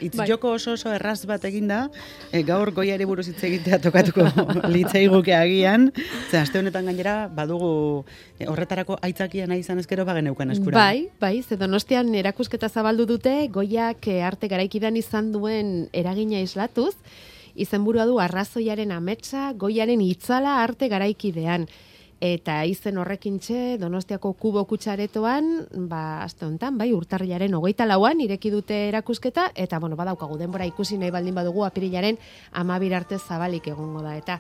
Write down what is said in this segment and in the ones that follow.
Joko oso erraz bat eginda, gaur Goiari buruz hitz egitea tokatuko litzaiguke agian, ze aste honetan gainera badugu horretarako aitzakia nahi izan ezkero bageneukan eskura. Bai, ze Donostian erakusketa zabaldu dute Goiak arte garaikidean izan duen eragina islatuz, izenburua du Arrazoiaren ametsa Goiaren itzala arte garaikidean. Eta izen horrekintxe Donostiako Kubo Kutsaretoan, aste honetan, urtarrilaren 24an ireki dute erakusketa, eta badaukagu denbora ikusi nahi baldin badugu apirilaren 12 arte zabalik egongo da.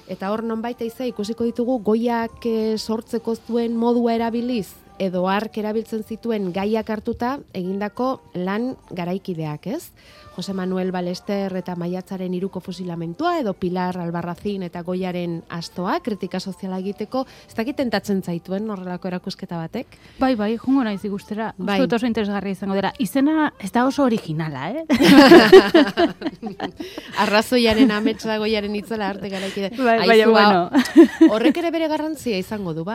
Eta hor nonbait ikusiko ditugu Goiak sortzeko zuen modua erabiliz, edo ark erabiltzen zituen gaiak hartuta egindako lan garaikideak, ez? Jose Manuel Balester eta Maiatzaren 3ko fusilamentua, edo Pilar Albarracin eta Goiaren astoa, kritika soziala egiteko, ez dakit tentatzen zaituen horrelako erakusketa batek? Bai, jungo naiz ikustera, uste dut oso interesgarria izango dela. Izena ez da oso originala, Arrazoiaren ametsa Goiaren itzala arte garaikide. Horrek ere bere garrantzia izango du,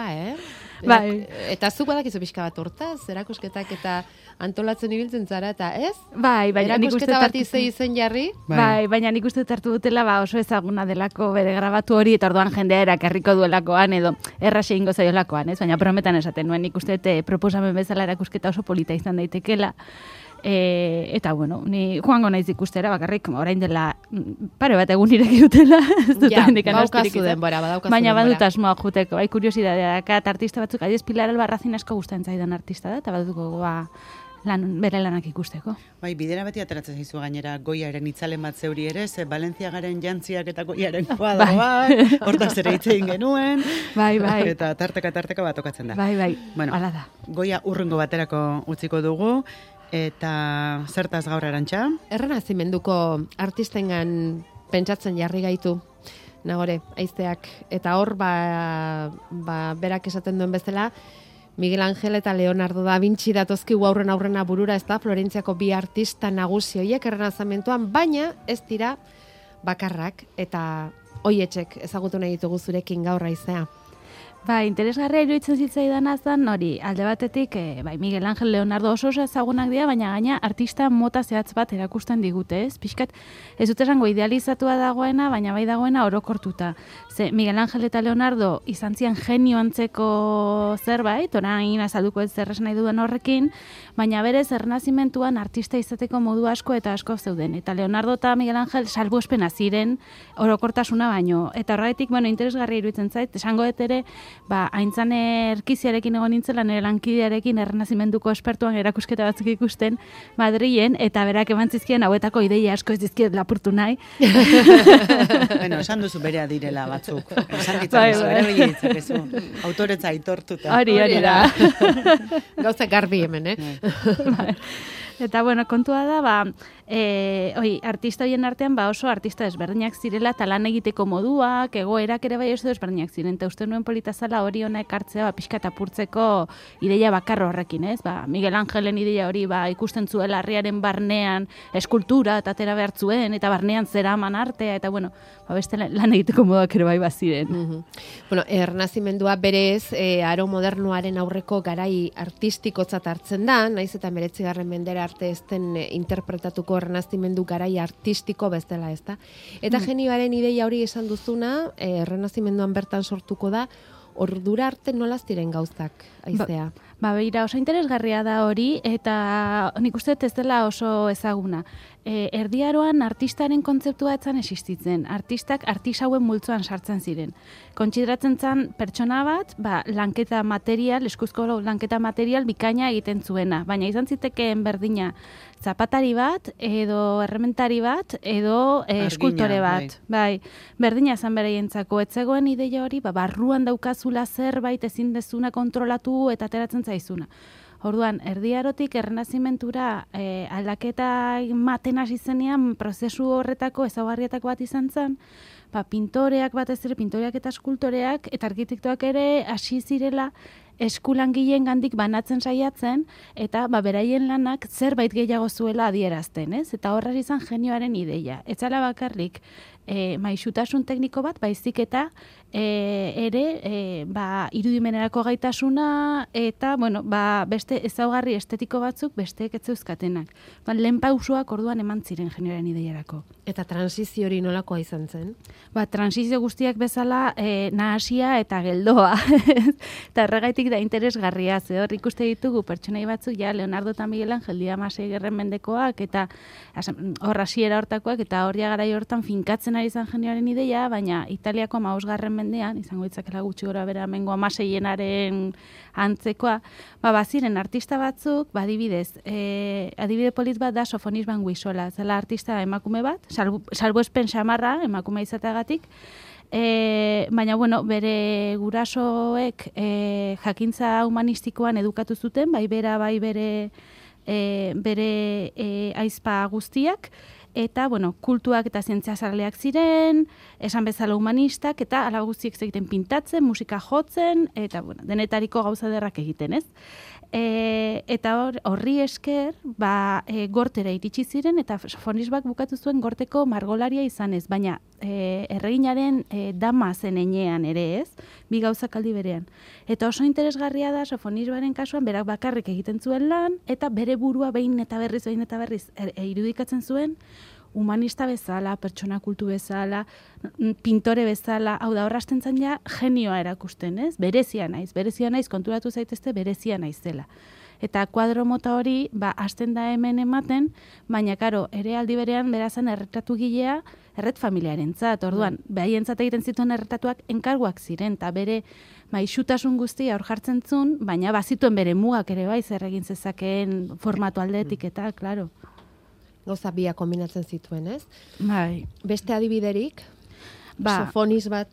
Eta zuk badakizu pixka bat hortaz, erakusketak eta antolatzen ibiltzen zara, eta ez? Bai, erakusketa bat izen jarri? Bai, baina nik uste hartu dutela oso ezaguna delako bere grabatu hori, eta orduan jendea erakarriko duelakoan, edo erraxe ingo zaiolakoan, ez? Baina prometan esaten nuen, nik uste proposamen bezala erakusketa oso polita izan daitekela. Eta ni joango naiz ikustera, bakarrik orain dela pare bat egun ireki dutela, ez dut hendikan astirik izan. Baina badut asmoa juteko, kuriosidadea dakat, artista batzuk, adiez Pilar Albarracin asko gustatzen zaidan artista da, eta badutuko bere lanak ikusteko. Bai, bidera beti ateratzen zaizu gainera Goiaren itzalen bat zeuri ere, ze Valentziagaren jantziak eta Goiaren kuadroa, hortaz ere hitz egin genuen, eta tarteka bat tokatzen da. Bai, hala da. Goia urrungo baterako utziko dugu, eta zertaz gaur Arantxa? Errenazimenduko artistengan pentsatzen jarri gaitu, Nagore, Aizteak, eta hor berak esaten duen bezala, Miguel Ángel eta Leonardo da Vinci datozkigu aurrena burura, ez da, Florentziako bi artista nagusi horiek errenazamentuan, baina ez dira bakarrak, eta hoietxek ezagutu nahi ditugu zurekin gaur Aizea. Interesgarria iruditzen zitzaidan azan, hori, alde batetik, Miguel Ángel Leonardo oso ezagunak dira, baina gaina artista mota zehatz bat erakusten digute, ez? Pixkat, ez dut esango idealizatua dagoena, baina bai dagoena orokortuta. Ze Miguel Ángel eta Leonardo izan zian genio antzeko zerbait, orain azalduko ez zer esan nahi duen horrekin, baina berez errenazimentuan artista izateko modu asko eta asko zeuden. Eta Leonardo eta Miguel Ángel salbuespena ziren orokortasuna baino. Eta horretik, interesgarria iruditzen zait, esango dut ere, haintzan erkiziarekin egon nintzela, nire lankidearekin errenazimenduko espertuan erakusketa batzuk ikusten Madrilen, eta berak eman zizkien hauetako ideia asko ez dizkiet lapurtu nahi. Esan duzu berea direla batzuk. Esan ditzakezu, ere ditzakezu. Autoretza aitortuta. Hori da. Gauza garbi hemen, Eta, kontua da, artista horien artean, oso artista desberdinak zirela, eta lan egiteko moduak, egoerak ere bai oso desberdinak ziren, eta uste nuen politazala hori hona ekartzea, pixka eta apurtzeko ideia bakar horrekin, ez? Miguel Ángelen ideia hori, ikusten zuela harriaren barnean eskultura, eta atera behar zuen, eta barnean zeraman artea, eta, beste lan egiteko moduak ere bai baziren. Ernazimendua berez, aro modernoaren aurreko garai artistikotzat hartzen da, naiz eta 19. mendera arte ezten interpretatuko errenazimendu garai artistiko bezala, ezta? Eta genioaren ideia hori esan duzuna, errenazimenduan bertan sortuko da, ordura arte nolaz diren gauzak, Aizea? Beira, oso interesgarria da hori, eta nik uste ez dela oso ezaguna. Erdiaroan artistaren kontzeptua etzan existitzen. Artistak artisauen multzoan sartzen ziren. Kontsideratzen zen pertsona bat, lanketa material, eskuzko lanketa material bikaina egiten zuena. Baina izan zitekeen berdina zapatari bat, edo errementari bat, edo eskultore bat. Berdina zen bereientzako. Etzegoen ideia hori, barruan daukazula zerbait ezin dezuna kontrolatu eta ateratzen zaizuna. Orduan, erdiarotik errenazimentura aldaketa maten hasi zenean prozesu horretako ezaugarrietako bat izan zen, pintoreak batez ere, pintoreak eta eskultoreak eta arkitektoak ere hasi zirela eskulangileengandik banatzen saiatzen, eta beraien lanak zerbait gehiago zuela adierazten, ez? Eta horra izan genioaren ideia. Etzala bakarrik maisutasun tekniko bat, baizik eta ere irudimenerako gaitasuna eta beste ezaugarri estetiko batzuk besteek ez zeuzkatenak. Lehen pausoak orduan eman ziren genioaren ideiarako. Eta transizio hori nolakoa izan zen? Transizio guztiak bezala nahasia eta geldoa. Eta horregaitik da interesgarria. Hor ikuste ditugu pertsonai batzuk, Leonardo eta Miguel Angel dira 16. mendekoak, eta hor hasiera hortakoak, eta hor garai hortan finkatzen ari izan genioaren ideia, baina Italiako 15. mendean, izango ditzakela gutxi gora bera mengo 16. antzekoa, baziren artista batzuk, adibidez, adibide polit bat da Sofonis Banguisola, zela artista emakume bat, salbuespen xamarra emakume izateagatik, baina bere gurasoek jakintza humanistikoan edukatu zuten, bai bere aizpa guztiak, eta, kultuak eta zientziazaleak ziren, esan bezala humanistak, eta ala guztiek egiten pintatzen, musika jotzen, eta, denetariko gauza derrak egiten, ez? Eta horri esker, gortera iritsi ziren, eta Sofonisbak bukatu zuen gorteko margolaria izanez, baina erreginaren dama zen enean ere, ez? Bi gauzak aldi berean. Eta oso interesgarria da Sofonisbaren kasuan, berak bakarrik egiten zuen lan, eta bere burua behin eta berriz irudikatzen zuen, humanista bezala, pertsona kultu bezala, pintore bezala, hau da horrazten zen genioa erakusten, ez? Berezia naiz, konturatu zaitezte berezia naizela. Eta kuadro mota hori, hasten da hemen ematen, baina, karo, ere aldi berean berazan erretratu gilea, erret familiarentzat, orduan, behaientzat egiten zituen erretatuak enkarguak ziren, eta bere maixutasun guztia hor jartzen zuen, baina bazituen bere mugak ere bai, zer egin zezakeen formatu aldetik, eta, klaro. Gauza biak kombinatzen zituen, ez? Bai. Beste adibiderik, Sofonis bat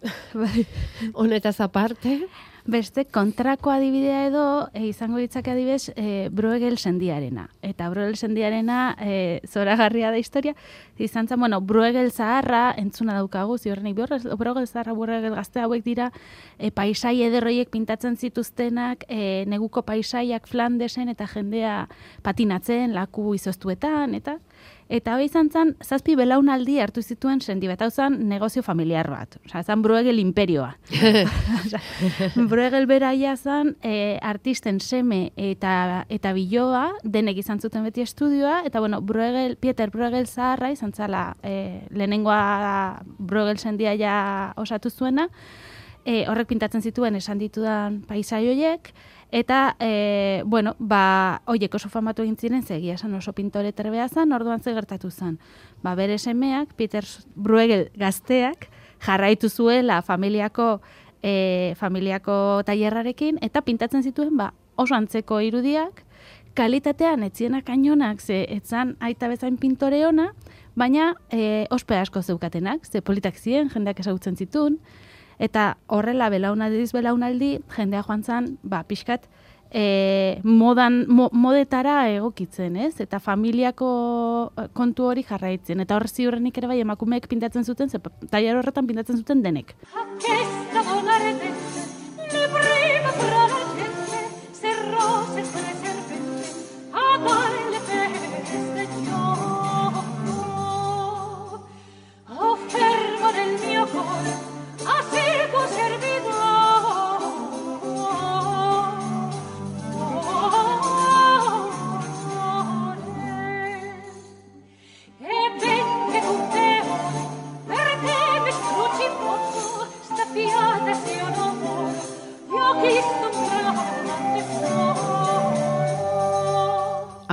honetaz aparte. Beste kontrako adibidea edo, izango ditzake adibidez, Bruegel sendiarena. Eta Bruegel sendiarena, zoragarria da historia, izan zen, Bruegel zaharra, entzuna daukagu, ziorrenik, Bruegel zaharra, Bruegel gazte hauek dira, paisai ederroiek pintatzen zituztenak, neguko paisaiak Flandesen, eta jendea patinatzen, laku izoztuetan, eta hori izan zen, 7 belaunaldi hartu zituen sendi bat, hau zen negozio familiar bat. Osa, zen Bruegel imperioa. Bruegel beraia zen artisten seme eta biloa, denek izan zuten beti estudioa, eta Pieter Bruegel zaharra izan zala lehenengoa Bruegel sendia ja osatu zuena, horrek pintatzen zituen esan ditudan paisai horiek, eta, hoiek oso famatu egin ziren, zegia esan oso pintore terbea zen, orduan ze gertatu zen. Bere semeak, Pieter Bruegel gazteak, jarraitu zuela familiako tailerrarekin, eta pintatzen zituen, oso antzeko irudiak, kalitatean etzienak ainonak, ze etzan aita bezain pintore ona, baina ospe asko zeukatenak, ze politak ziren, jendeak ezagutzen zituen, eta horrela belaunaldi jendea joan zen, pixkat modetara egokitzen, ez? Eta familiako kontu hori jarraitzen. Eta hor ziurrenik ere bai emakumeek pintatzen zuten, tailer horretan pintatzen zuten denek.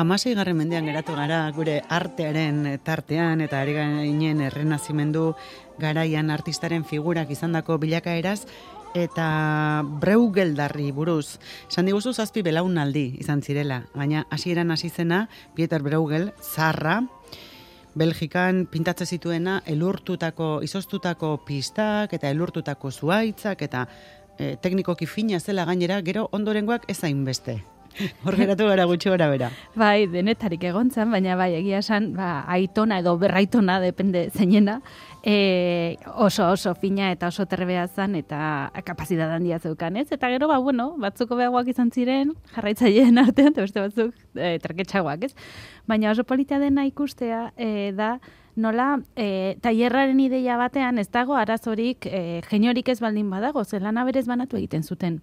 Hamaseigarren mendean geratu gara gure artearen tartean eta ari ginen errenazimendu garaian artistaren figurak izandako bilakaeraz eta Breugeldarri buruz. Esan diguzu 7 belaunaldi izan zirela, baina hasieran hasi zena Pieter Bruegel zaharra, Belgikan pintatzen zituena izoztutako pistak eta elurtutako zuhaitzak eta teknikoki fina zela gainera, gero ondorengoak ez hainbeste. Hor geratu gara gutxi gora bera. Bai, denetarik egontzan, baina bai, egia esan, aitona edo berraitona, depende zeinena, oso fina eta oso terbea zan eta kapazidad handia zeukan, ez? Eta gero, batzuko beagoak izan ziren, jarraitzaileen artean, eta beste batzuk traketxagoak, ez? Baina oso polita dena ikustea da, nola, tailerraren ideia batean ez dago arazorik geniorik ez baldin badago, ze lana berez banatu egiten zuten.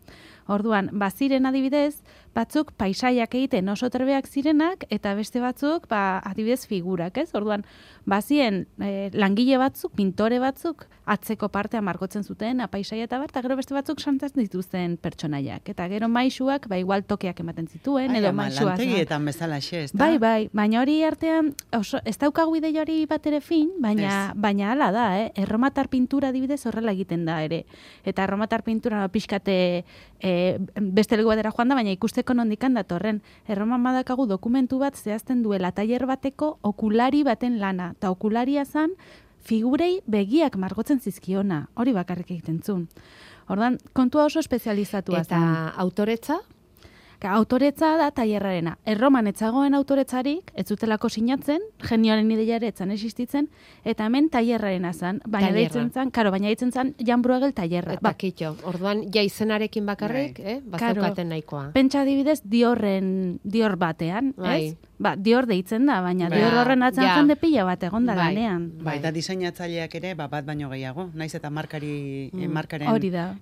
Orduan, baziren adibidez, batzuk paisaiak egiten oso terbeak zirenak, eta beste batzuk, adibidez figurak, ez? Orduan, bazien langile batzuk, pintore batzuk, atzeko partea margotzen zuten, paisaia eta bar, eta gero beste batzuk santatzen dituzten pertsonaiak. Eta gero maisuak, igual tokeak ematen zituen, edo maisua. Lantegietan bezala xe, ez da? Bai, baina hori artean, ez daukagu ideia hori bat ere fin, baina hala da, erromatar pintura adibidez horrela egiten da ere. Eta erromatar pintura pixkate beste leku batera joan da, baina ikusteko nondikan datorren. Erroman badakagu dokumentu bat zehazten duela tailer bateko okulari baten lana. Eta okularia zan, figurei begiak margotzen zizkiona. Hori bakarrik egiten zuen. Ordan, kontua oso espezializatua zan. Eta autoretza? Autoretza da tailerrarena. Erroman etzagoen autoretzarik, ez zutelako sinatzen, genioaren ideiare etzan existitzen, eta hemen tailerrarena zan. Baina deitzen zan, Jan Bruegel tailerra. Eta kitxo, orduan, ja izenarekin bakarrik, bazaukaten nahikoa. Pentsa adibidez, Dior batean, ez? Dior deitzen da, baina Dior horren atzan jende pila bat egon da lanean. Eta diseinatzaileak ere, bat baino gehiago, naiz eta markaren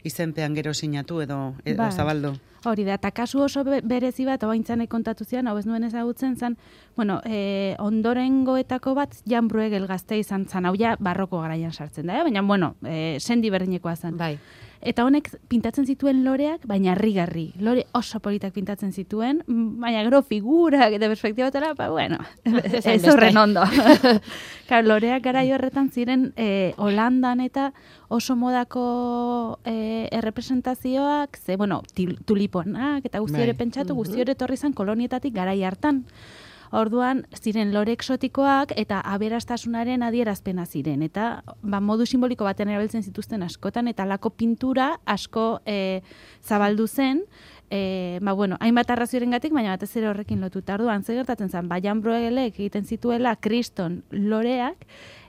izenpean gero sinatu edo zabaldu. Hori da, eta kasu oso berezi bat, oaintzanek kontatu zian, hau ez nuen ezagutzen zan, ondorengoetako bat Jan Bruegel gazte izan zan, hau ja barroko garaian sartzen da, baina, sendi berdinekoa zan. Bai. Eta honek pintatzen zituen loreak, baina harrigarri. Lore oso politak pintatzen zituen, baina gero figurak eta perspektibatela, ez horren ondo. Loreak garai horretan ziren Holandan eta oso modako errepresentazioak, tuliponak eta guzti hori pentsatu, guzti hori etorri zen kolonietatik garai hartan. Orduan, ziren lore eksotikoak eta aberastasunaren adierazpena ziren. Eta modu simboliko baten erabiltzen zituzten askotan, eta lako pintura asko zabaldu zen, hainbat arraziorengatik, baina batez ere horrekin lotuta. Orduan, ze gertatzen zen, Jan Bruegelek egiten zituela kriston loreak,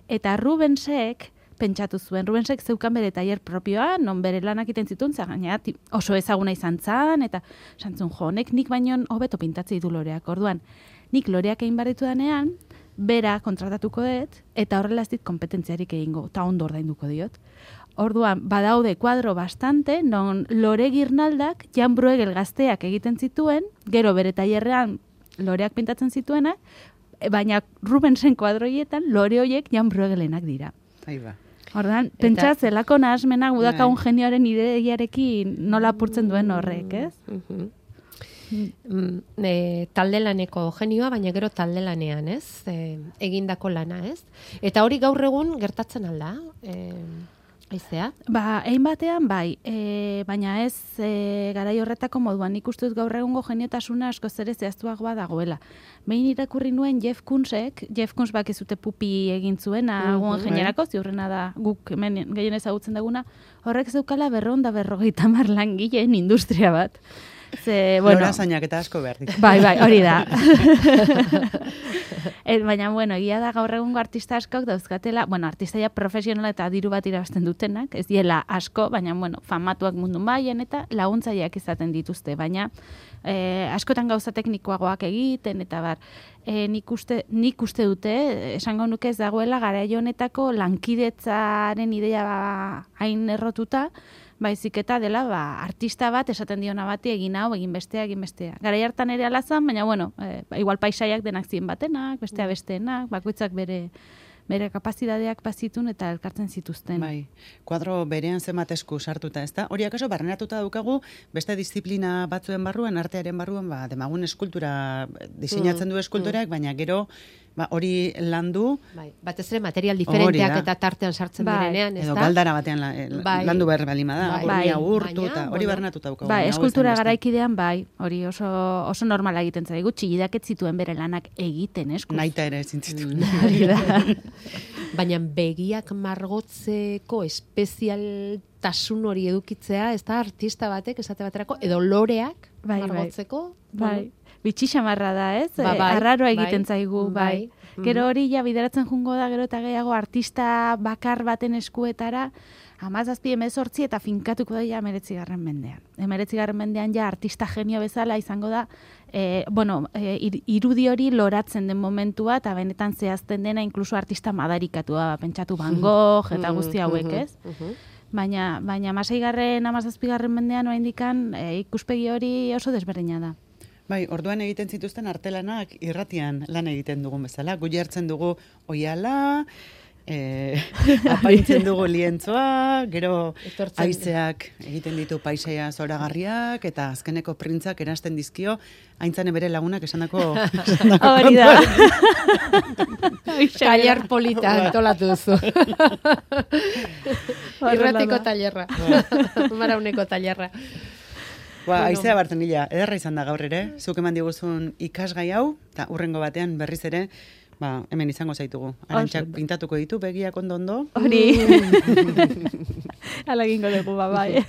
eta Rubensek pentsatu zuen. Rubensek zeukan bere tailer propioa, non bere lanak egiten zituen, gaina oso ezaguna izan zan, eta santzun honek nik baino hobeto pintatzi du loreak. Orduan, nik loreak egin barritu danean, bera kontratatuko dut, eta horrela ez dit kompetentziarik egingo, eta ondo ordainduko diot. Orduan, badaude kuadro bastante, non lore girnaldak Jan Bruegel gazteak egiten zituen, gero bere tailerrean loreak pintatzen zituenak, baina Rubensen kuadroietan lore horiek Jan Bruegelenak dira. Orduan, pentsa zelako nahasmenak udakagun genioaren ideiarekin nola apurtzen duen horrek, ez? Talde laneko genioa, baina gero talde lanean, ez? Egindako lana, ez? Eta hori gaur egun gertatzen alda, aizea? Egin batean, bai, baina ez garai horretako moduan, nik uste dut gaur egungo geniotasuna asko ere zehaztuagoa dagoela. Behin irakurri nuen Jeff Koons bakizute pupi egin zuena, guen jenerako, ziurrena da guk hemen gehien ezagutzen duguna, horrek zeukala 250 langileen industria bat. Lorazainak eta asko behar ditu. Bai, hori da. Baina, egia da gaur egungo artista askok dauzkatela, artistaia profesionala eta diru bat irabazten dutenak, ez diela asko, baina, famatuak mundu mailan eta laguntzaileak izaten dituzte, baina askotan gauza teknikoagoak egiten, eta bar, nik uste dute, esango nuke ez dagoela garai honetako lankidetzaren ideia hain errotuta, baizik eta dela, artista bat esaten diona bati egin hau, egin bestea. Garai hartan ere alazan, baina, igual paisaiak denak ziren batenak, bestea besteenak, bakoitzak bere kapazidadeak bazitun eta elkartzen zituzten. Bai, kuadro berean zenbat esku sartuta, ez da? Hori akaso barrenatuta daukagu, beste disiplina batzuen barruan, artearen barruan, demagun eskultura, diseinatzen du eskultoreak, baina gero, hori landu. Batez ere material diferenteak eta tartean sartzen direnean, ez da? Edo galdara batean landu behar balima da, hori agurtu eta hori barrenatuta daukagu. Eskultura garaikidean, hori oso normala egiten zaigu, txillidak ez zituen bere lanak egiten, eskus. Naita ere zintzituen. Baina begiak margotzeko espezialtasun hori edukitzea, ez da artista batek esate baterako, edo loreak, margotzeko. Bai. Bitxi xamarra da, ez? Bai, Arraroa egiten zaigu, bai. Gero Mhm. hori ja bideratzen jungo da, gero eta gehiago artista bakar baten eskuetara, 17-18 eta finkatuko da ja 19. mendean. 19. mendean ja artista genio bezala izango da, irudi hori loratzen den momentua, eta benetan zehazten dena inkluso artista madarikatua, pentsatu Van Gogh eta guzti hauek, ez? Baina 16. mendean oraindikan ikuspegi hori oso desberdina da. Bai, orduan egiten zituzten artelanak irratian lan egiten dugun bezala. Gu jartzen dugu oiala, apaintzen dugu lientzoa, gero haizeak egiten ditu paisaia zoragarriak, eta azkeneko printzak erasten dizkio, aintzane bere lagunak esandako Hori da. Tailer polita antolatu duzu. Irratiko tailerra. Marauneko tailerra. Haizea bartzen gila, ederra izan da gaur ere, zuk eman diguzun ikasgai hau, eta urrengo batean berriz ere, hemen izango zaitugu. Arantxak pintatuko ditu, begiak ondo. Hori. Hala egingo dugu, bai.